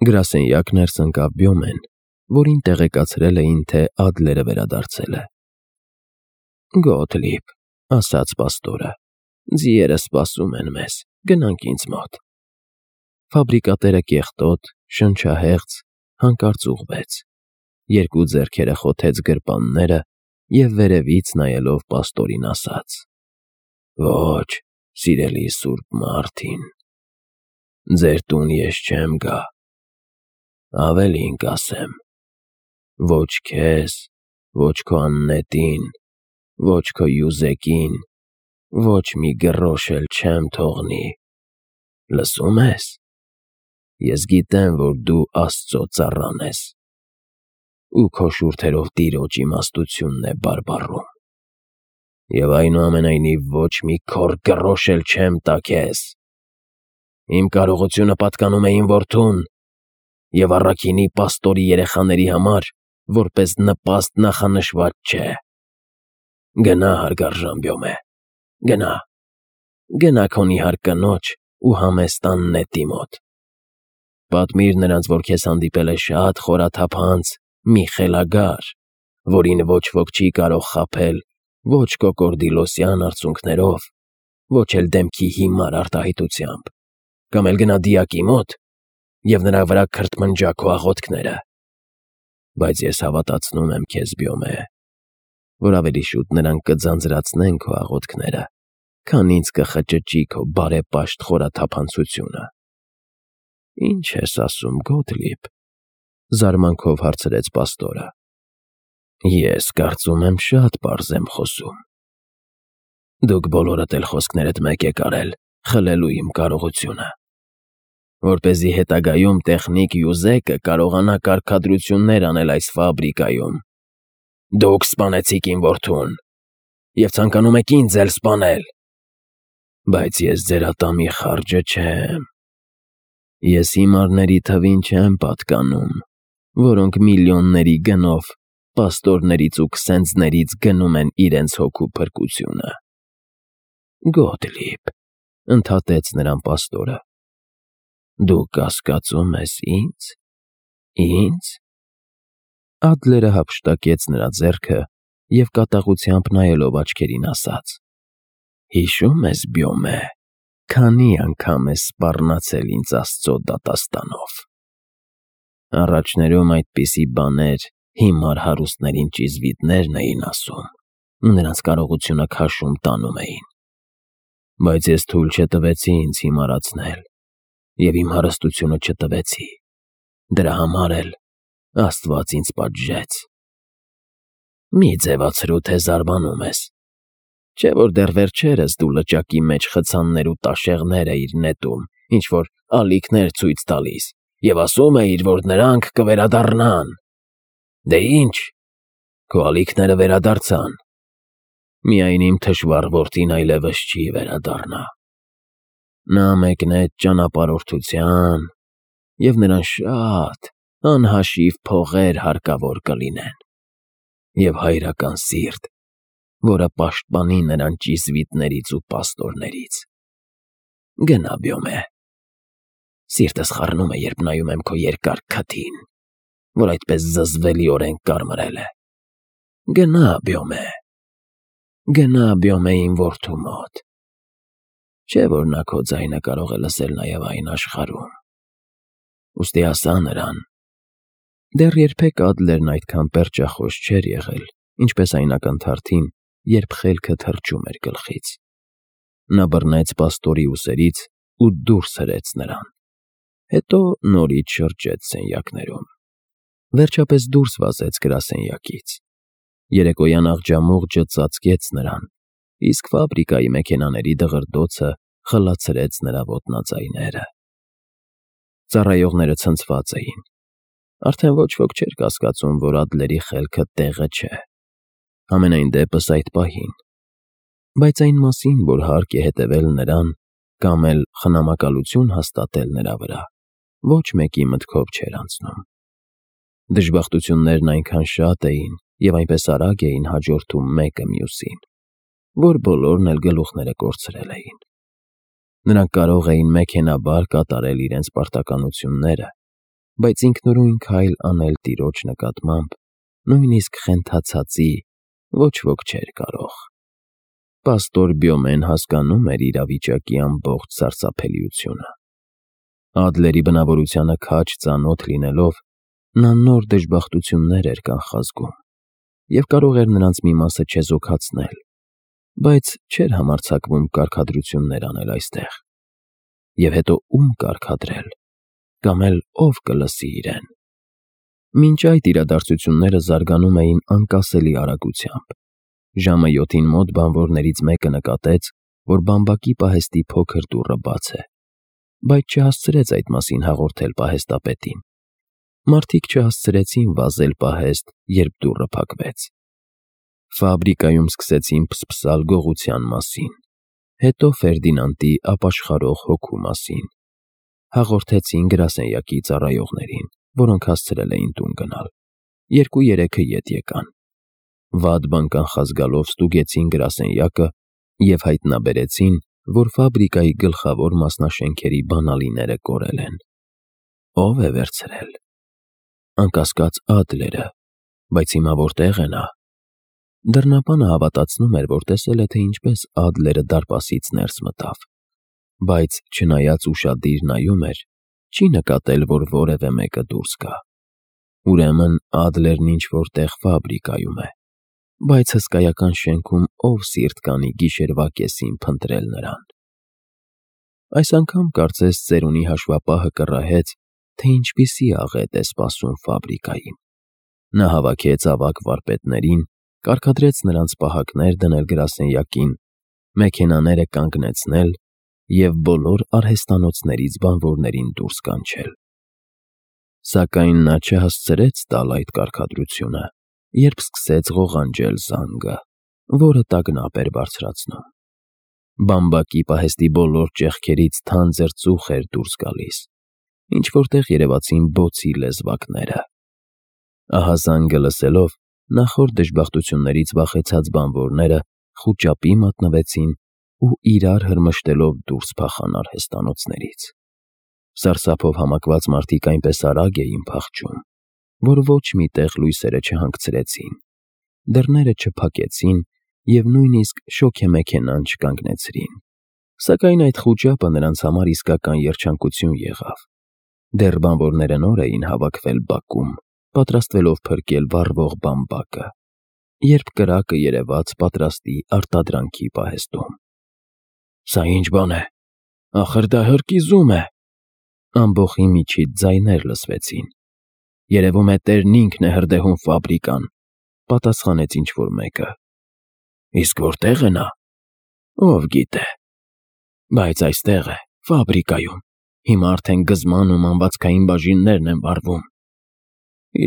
Գրասենյակ ներս ընկավ Բյոմեն, որին տեղեկացրել էին, թե Ադլերը վերադարձել է։ «Գոթլիբ», ասաց պաստորը, «ձիերը սպասում են մեզ, գնանք ինձ մոտ»։ Ֆաբրիկատերը կեղտոտ, շնչահեղձ, հանկարծ ուղղվեց, երկու ձեռքերը խոթեց գրպանները և վերևից նայելով պաստորին ասաց. «Ոչ, սիրելի Սուրբ Մարտին, ձեր տուն ես չեմ գա, ավելին կասեմ, ոչ քեզ, ոչ քո աննետին, ոչ քո Յուզեկին, ոչ մի գրոշ էլ չեմ թողնի, լսում ես, ես գիտեմ, որ դու Աստծո ծառան ես, ու քո շուրթերով տիրոջ իմաստությունն է բարբառում, և այնուամենայնիվ ոչ մի քոռ գրոշ էլ չեմ տա քեզ, իմ կարողությունը պատկանում է իմ որդուն, և առաքինի պաստորի երեխաների համար որպես նպաստ նախանշված չէ, գնա հարգարժան Բյոմե, գնա քո նիհար կնոջ ու համեստ աննետի մոտ, պատմիր նրանց, որ քեզ հանդիպել է շատ խորաթափանց մի խելագար, որին ոչ ոք չի կարող խաբել ոչ կոկորդիլոսյան արցունքներով, ոչ էլ դեմքի հիմար արտահայտությամբ, կամ էլ գնա դիակի մոտ և նրա վրա քրթմնջա քո աղոթքները, բայց ես հավատացնում եմ քեզ, Բյոմե, որ ավելի շուտ նրանք կձանձրացնեն քո աղոթքները, քան ինձ կխճճի քո բարեպաշտ խորաթափանցությունը»։ «Ինչ ես ասում, Գոթլիբ», զարմանքով հարցրեց պաստորը։ «Ես կարծում եմ շատ պարզ եմ խոսում։ Դուք բոլորդ էլ խոսքներդ մեկ եք արել խլելու իմ կարողությունը, որպեսզի հետագայում տեխնիկ Յուզեկը կարողանա կարգադրություններ անել այս ֆաբրիկայում։ Դուք սպանեցիք իմ որդուն և ցանկանում եք ինձ էլ սպանել, բայց ես ձեր ատամի խարջը չեմ։ Ես հիմարների թվին չեմ պատկանում, որոնք միլիոնների գնով պաստորներից ու քսենձներից գնում են իրենց հոգու փրկությունը»։ «Գոթլիբ», ընդհատեց նրան պաստորը, «դու կասկածում ես ինձ։ Ինձ»։ Ադլերը հափշտակեց նրա ձեռքը և կատաղությամբ նայելով աչքերին ասաց. «Հիշո՞ւմ ես, Բյոմե, քանի անգամ ես սպառնացել ինձ Աստծո դատաստանով։ Առաջներում այդպիսի բաներ հիմար հարուստներին ճիզվիտներն էին ասում ու նրանց կարողությունը քաշում տանում էին, բայց ես թույլ չտվեցի ինձ հիմարացնել և իմ հարստությունը չտվեցի, դրա համար էլ Աստված ինձ պատժեց։ Մի ձևացրու, թե զարմանում ես, չէ՞ որ դեռ վերջերս դու լճակի մեջ խցաններ ու տաշեղներ էիր նետում, ինչ-որ ալիքներ ցույց տալիս և ասում էիր, որ նրանք կվերադառնան։ Դե ինչ, քո ալիքները վերադարձան, միայն իմ թշվառ որդին այլևս չի վերադառնա։ Նա մեկնեց ճանապարհորդության, և նրան շատ անհաշիվ փողեր հարկավոր կլինեն, և հայրական սիրտ, որը պաշտպանի նրան ճիզվիտներից ու պաստորներից։ Գնա, Բյոմե, սիրտս խառնում է, երբ նայում եմ քո երկար քթին, որ այդպես զզվելիորեն կարմրել է։ Գնա, Բյոմե իմ որդու մոտ, չէ՞ որ նա քո ձայնը կարող է լսել նաև այն աշխարհում։ Ուստի ասա նրան»։ Դեռ երբեք Ադլերն այդքան պերճախոս չէր եղել, ինչպես այն ակնթարթին, երբ խելքը թռչում էր գլխից։ Նա բռնեց պաստորի ուսերից ու դուրս հրեց նրան, հետո նորից շրջեց սենյակներում, վերջապես դուրս վազեց գրասենյակից։ Երեկոյան աղջամուղջը ծածկեց նրան, իսկ ֆաբրիկայի մեքենաների դղրդոցը խլացրեց նրա ոտնաձայները։ Ծառայողները ցնցված էին։ Արդեն ոչ ոք չէր կասկածում, որ Ադլերի խելքը տեղը չէ, համենայն դեպս այդ պահին, բայց այն մասին, որ հարկ է հետևել նրան կամ էլ խնամակալություն հաստատել նրա վրա, ոչ մեկի մտքով չէր անցնում։ Դժբախտություններն այնքան շատ էին և այնպես արագ էին հաջորդում մեկը մյուսին, որ բոլորն էլ գլուխները կորցրել էին։ Նրանք կարող էին մեքենայաբար կատարել իրենց պարտականությունները, բայց ինքնուրույն քայլ անել տիրոջ նկատմամբ, նույնիսկ խենթացածի, ոչ ոք չէր կարող։ Պաստոր Բյոմեն հասկանում էր իրավիճակի ամբողջ սարսափելիությունը։ Ադլերի բնավորությանը քաջ ծանոթ լինելով, նա նոր դժբախտություններ էր կանխազգում և կարող էր նրանց մի մասը չեզոքացնել, բայց չէր համարձակվում կարգադրություններ անել այստեղ։ Եվ հետո ում կարգադրել, կամ էլ ով կլսի իրեն։ Մինչ այդ իրադարձությունները զարգանում էին անկասելի արագությամբ։ Ժամը 7-ին մոտ բանվորներից մեկը նկատեց, որ բամբակի պահեստի փոքր դուռը բաց է, բայց չհասցրեց այդ մասին հաղորդել պահեստապետին։ Մարդիկ չհասցրեցին վազել պահեստ, երբ դուռը փակվեց։ Ֆաբրիկայում սկսեցին փսփսալ գողության մասին, հետո Ֆերդինանդի ապաշխարող հոգու մասին։ Հաղորդեցին գրասենյակի ծառայողներին, որոնք հասցրել էին տուն գնալ։ 2-3-ը ետ եկան։ Վատ բան կանխազգալով ստուգեցին գրասենյակը և հայտնաբերեցին, որ ֆաբրիկայի գլխավոր մասնաշենքերի բանալիները կորել են։ Ո՞վ է վերցրել։ Անկասկած Ադլերը, բայց հիմա որտեղ է նա։ Դռնապանը հավատացնում էր, որ տեսել է, թե ինչպես Ադլերը դարպասից ներս մտավ, բայց չնայած ուշադիր նայում էր, չի նկատել, որ որևէ մեկը դուրս գա։ Ուրեմն Ադլերն ինչ-որ տեղ ֆաբրիկայում է, բայց հսկայական շենքում ով սիրտ կանի գիշերվա կեսին փնտրել նրան։ Այս անգամ կարծես ծերունի հաշվապահը կռահեց, թե ինչպիսի աղետ է սպասում ֆաբրիկային։ Նա հավաքեց ավագ վարպետներին, կարգադրեց նրանց պահակներ դնել գրասենյակին, մեքենաները կանգնեցնել և բոլոր արհեստանոցներից բանվորներին դուրս կանչել։ Սակայն նա չհասցրեց տալ այդ կարգադրությունը, երբ սկսեց ղողանջել զանգը, որը տագնապ էր բարձրացնում։ Բամբակի պահեստի բոլոր ճեղքերից թանձր ծուխ էր դուրս գալիս, ինչ-որտեղ երևացին բոցի լեզվակները։ Ահա զանգը լսելով, նախորդ դժբախտություններից վախեցած բանվորները խուճապի մատնվեցին ու իրար հրմշտելով դուրս փախան արհեստանոցներից։ Սարսափով համակված մարդիկ այնպես արագ էին փախչում, որ ոչ մի տեղ լույսերը չհանգցրեցին, դռները չփակեցին և նույնիսկ շոգեմեքենան չկանգնեցրին։ Սակայն այդ խուճապը նրանց համար իսկական երջանկություն եղավ։ Դեռ բանվորները նոր էին հավաքվել բակում, պատրաստվելով փրկել վառվող բամբակը, երբ կրակը երևաց պատրաստի արտադրանքի պահեստում։ «Սա ի՞նչ բան է, ախր դա հրկիզում է», ամբոխի միջից ձայներ լսվեցին։ «Երևում է տերն ինքն է հրդեհում ֆաբրիկան», պատասխանեց ինչ-որ մեկը։ «Իսկ որտե՞ղ է նա»։ «Ով գիտե։ Բայց այստեղ է, ֆաբրիկայում, հիմա արդեն գզման ու մանվածքային բաժիններն են վառվում»։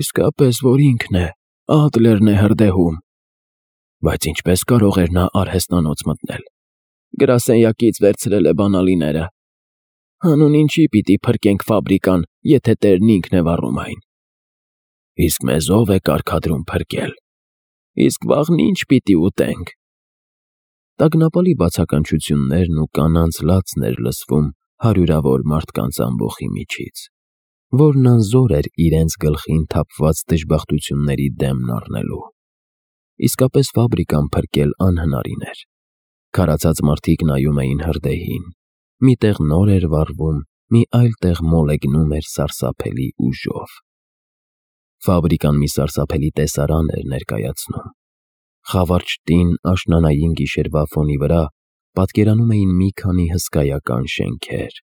«Իսկապես որ ինքն է, Ադլերն է հրդեհում»։ «Բայց ինչպես կարող էր նա արհեստանոց մտնել»։ «Գրասենյակից վերցրել է բանալիները»։ «Հանուն ինչի պիտի փրկենք ֆաբրիկան, եթե տերն ինքն է վառում այն»։ «Իսկ մեզ ով է կարգադրում փրկել»։ «Իսկ վաղն ինչ պիտի ուտենք»։ Տագնապալի բացականչություններն ու կանանց լացն էր լսվում հարյուրավոր մարդկանց ամբոխի միջից, որն անզոր էր իրենց գլխին թափված դժբախտությունների դեմն առնելու։ Իսկապես ֆաբրիկան փրկել անհնարին էր։ Քարացած մարդիկ նայում էին հրդեհին, մի տեղ նոր էր վառվում, մի այլ տեղ մոլեգնում էր սարսափելի ուժով։ Ֆաբրիկան մի սարսափելի տեսարան էր ներկայացնում։ Խավարճ տին աշնանային գիշերվա ֆոնի վրա պատկերանում էին մի քանի հսկայական շենքեր,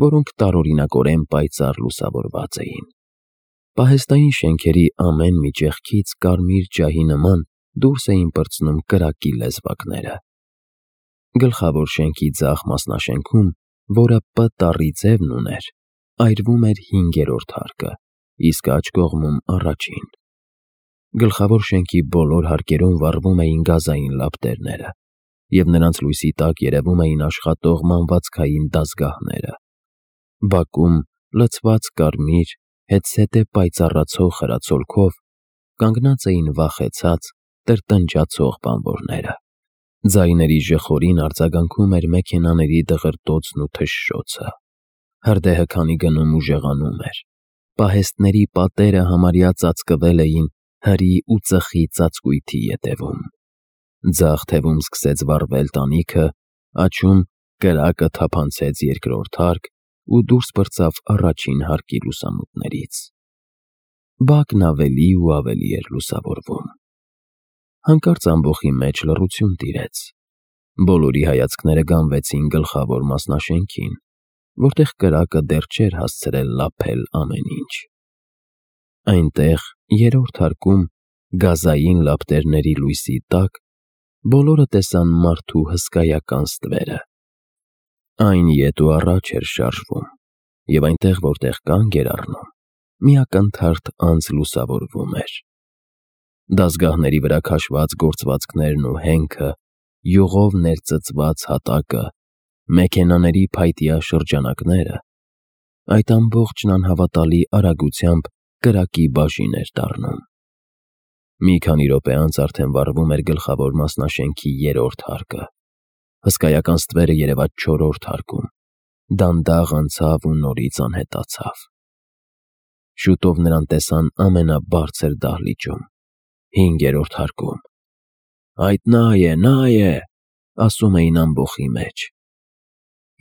որոնք տարօրինակորեն պայծառ լուսավորված էին։ Պահեստային շենքերի ամեն մի ճեղքից կարմիր ջահի նման դուրս էին պրծնում կրակի լեզվակները։ Գլխավոր շենքի ձախ մասնաշենքում, որը Պ տառի ձևն ուներ, այրվում էր 5-րդ հարկը, իսկ աջ կողմում առաջին։ Գլխավոր շենքի բոլոր հարկերում վառվում էին գազային լապտերները, և նրանց լույսի տակ երևում էին աշխատող մանվածքային դազգահները։ Բակում, լցված կարմիր, հետզհետե պայծառացող խրացոլքով, կանգնած էին վախեցած, տրտնջացող բանվորները։ Ձայների ժխորին արձագանքում էր մեքենաների դղրդոցն ու թշշոցը։ Հրդեհը քանի գնում ու ժեղանում էր, Պահեստների պատերը համարյա ծածկվել էին հրի ու ծխի ծածկույթի ետևում։ Ձախ թևում սկսեց վառվել տանիքը, աջում կրակը թափանցեց երկրորդ հարկ ու դուրս պրծավ առաջին հարկի լուսամուտներից։ Բակն ավելի ու ավելի էր լուսավորվում։ Հանկարծ ամբոխի մեջ լռություն տիրեց։ Բոլորի հայացքները գանվեցին գլխավոր մասնաշենքին, որտեղ կրակը դեռ չէր հասցրել լափել ամեն ինչ։ Այնտեղ, երրորդ հարկում, գազային լապտերների լույսի տակ, բոլորը տեսան մարդու հսկայական ստվերը։ Այն ետ ու առաջ էր շարժվում, և այնտեղ, որտեղ կանգ էր առնում, մի ակնթարթ անձ լուսավորվում էր։ Դազգահների վրա քաշված գործվածքներն ու հենքը, յուղով ներծծված հատակը, մեքենաների փայտյա շրջանակները, այդ ամբողջն անհավատալի արագությամբ կրակի բաժին էր դառնում։ Մի քանի րոպե անց արդեն վառվում էր գլխավոր մասնաշենքի երրորդ հարկը։ Հսկայական ստվերը երևաց չորրորդ հարկում, դանդաղ անցավ ու նորից անհետացավ։ Շուտով նրան տեսան ամենաբարձր դահլիճում, հինգերորդ հարկում։ «Այդ նա է», ասում էին ամբոխի մեջ։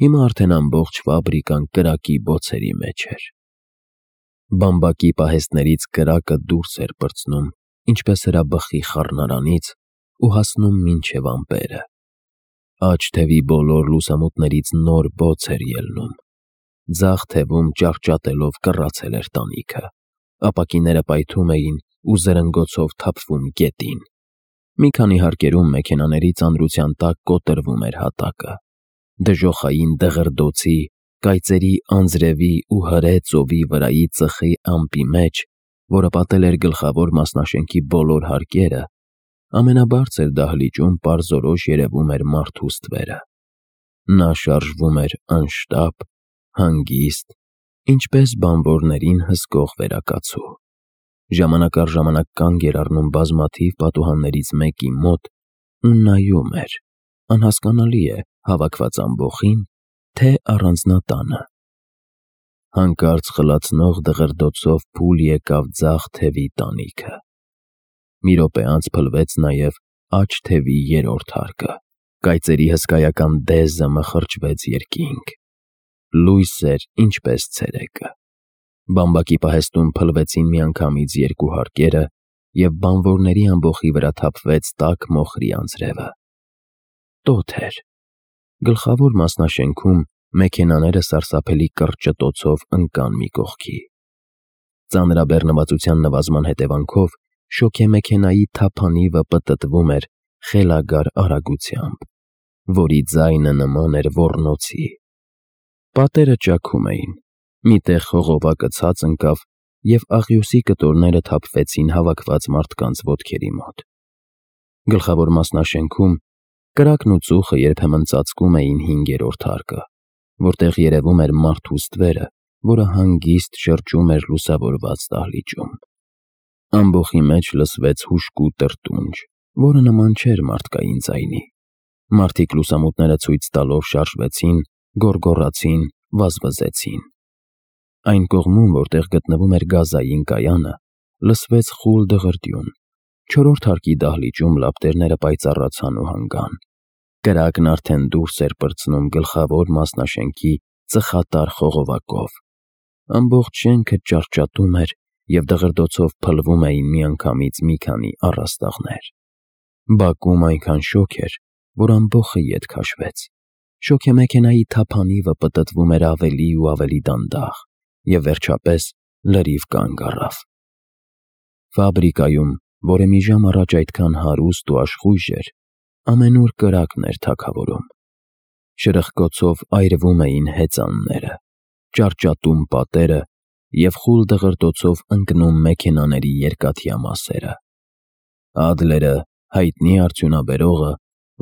Հիմա արդեն ամբողջ ֆաբրիկան կրակի բոցերի մեջ էր։ Բամբակի պահեստներից կրակը դուրս էր պրծնում, ինչպես հրաբխի խառնարանից, ու հասնում մինչև ամպերը։ Աջ թևի բոլոր լուսամուտներից նոր բոց էր ելնում։ Ձախ թևում ճարճատելով կռացել էր տանիքը, ապակիները պայթում էին ու զրնգոցով թափվում գետին։ Մի քանի հարկերում մեքենաների ծանրության տակ կոտրվում էր հատակը։ Դժոխային դղրդոցի, կայծերի անձրևի ու հրե ծովի վրայի ծխի ամպի մեջ, որը պատել էր գլխավոր մասնաշենքի բոլոր հարկերը, ամենաբարձր դահլիճում պարզորոշ երևում էր մարդու ստվերը։ Նա շարժվում էր անշտապ, հանգիստ, ինչպես բանվորներին հսկող վերակացու։ Ժամանակ առ ժամանակ կանգ էր առնում բազմաթիվ պատուհաններից մեկի մոտ ու նայում էր, անհասկանալի է, հավաքված ամբոխի՞ն, թե առանձնատանը։ Հանկարծ խլացնող դղրդոցով փուլ եկավ ձախ թևի տանիքը։ Մի րոպե անց փլվեց նաև աջ թևի երրորդ հարկը։ Կայծերի հսկայական դեզը մխրճվեց երկինք։ Լույս էր, ինչպես ցերեկը։ Բամբակի պահեստում փլվեցին միանգամից երկու հարկերը, և բանվորների ամբոխի վրա թափվեց տաք մոխրի անձրևը։ Տոթ էր։ Գլխավոր մասնաշենքում մեքենաները սարսափելի կրճտոցով ընկան մի կողքի։ Ծանրաբեռնվածության նվազման հետևանքով շոգեմեքենայի թափանիվը պտտվում էր խելագար արագությամբ, որի ձայնը նման էր ոռնոցի։ Պատերը ճաքում էին, մի տեղ խողովակը ցած ընկավ, և աղյուսի կտորները թափվեցին հավաքված մարդկանց ոտքերի մոտ։ Գլխավոր մասնաշենքում կրակն ու ծուխը երբեմն ծածկում էին հինգերորդ հարկը, որտեղ երևում էր մարդու ստվերը, որը հանգիստ շրջում էր լուսավորված դահլիճում։ Ամբոխի մեջ լսվեց հուժկու տրտունջ, որը նման չէր մարդկային ձայնի։ Մարդիկ լուսամուտները ցույց տալով շարժվեցին, գոռգոռացին, վազվզեցին։ Այն կողմում, որտեղ գտնվում էր գազային կայանը, լսվեց խուլ դղրդյուն։ Չորրորդ հարկի դահլիճում լապտերները պայծառացան ու հանգան։ Կրակն արդեն դուրս էր պրծնում գլխավոր մասնաշենքի ծխատար խողովակով։ Ամբողջ շենքը ճարճատում էր, և դղրդոցով փլվում էին միանգամից մի քանի առաստաղներ։ Բակում այնքան շոգ էր, որ ամբոխը ետ քաշվեց։ Շոգեմեքենայի թափանիվը պտտվում էր ավելի ու ավելի դանդաղ, և վերջապես լրիվ կանգ առավ։ Ֆաբրիկայում, որը մի ժամ առաջ այդքան հարուստ ու աշխույժ էր, ամենուր կրակն էր թագավորում։ Շրխկոցով այրվում էին հեծանները, ճարճատում պատերը և խուլ դղրդոցով ընկնում մեքենաների երկաթյա մասերը։ Ադլերը, հայտնի արդյունաբերողը,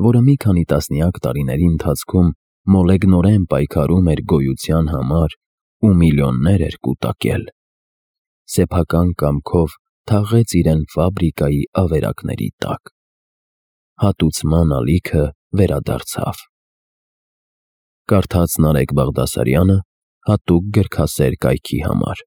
որը մի քանի տասնյակ տարիների ընթացքում մոլեգնորեն պայքարում էր գոյության համար ու միլիոններ էր կուտակել, սեփական կամքով թաղեց իրեն ֆաբրիկայի ավերակների տակ։ Հատուցման ալիքը վերադարձավ։ Կարդաց Նարեկ Բաղդասարյանը հատուկ գրքասեր կայքի համար։